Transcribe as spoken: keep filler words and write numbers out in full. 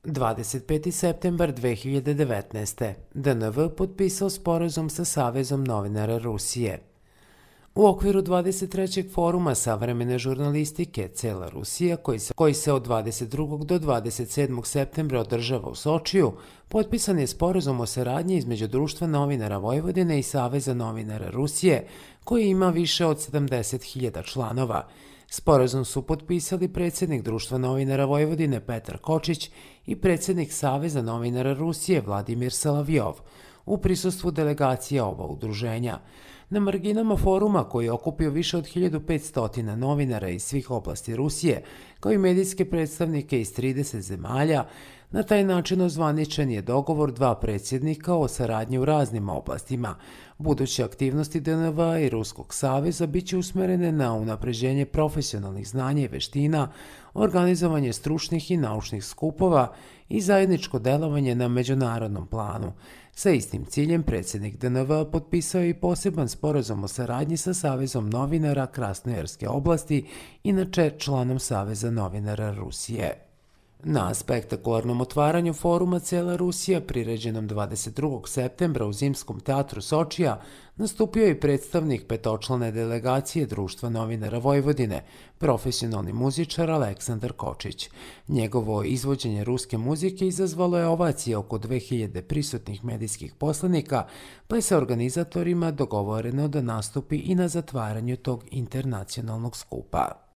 dvadeset peti septembar dve hiljade devetnaeste. D N V potpisao sporazum sa Savezom novinara Rusije. U okviru dvadeset trećeg foruma savremene žurnalistike Cela Rusija, koji se, koji se od dvadeset drugog do dvadeset sedmog septembra održava u Sočiju, potpisan je sporazum o saradnji između Društva novinara Vojvodine i Saveza novinara Rusije, koji ima više od sedamdeset hiljada članova. Sporazum su potpisali predsjednik Društva novinara Vojvodine Petar Kočić i predsjednik Saveza novinara Rusije Vladimir Salavjov u prisustvu delegacije oba udruženja. Na marginama foruma, koji je okupio više od hiljadu petsto novinara iz svih oblasti Rusije, kao i medijske predstavnike iz trideset zemalja, na taj način ozvaničen je dogovor dva predsjednika o saradnji u raznim oblastima. Buduće aktivnosti D N V i Ruskog saveza biće usmerene na unapređenje profesionalnih znanja i veština, organizovanje stručnih i naučnih skupova i zajedničko delovanje na međunarodnom planu. Sa istim ciljem predsjednik D N V potpisao je i poseban sporazum o saradnji sa Savezom novinara Krasnojarske oblasti, inače članom Saveza novinara Rusije. Na spektakularnom otvaranju foruma Cela Rusija, priređenom dvadeset drugog septembra u Zimskom teatru Sočija, nastupio je predstavnik petočlane delegacije Društva novinara Vojvodine, profesionalni muzičar Aleksandar Kočić. Njegovo izvođenje ruske muzike izazvalo je ovacije oko dve hiljade prisutnih medijskih poslanika, pa je sa organizatorima dogovoreno da nastupi i na zatvaranju tog internacionalnog skupa.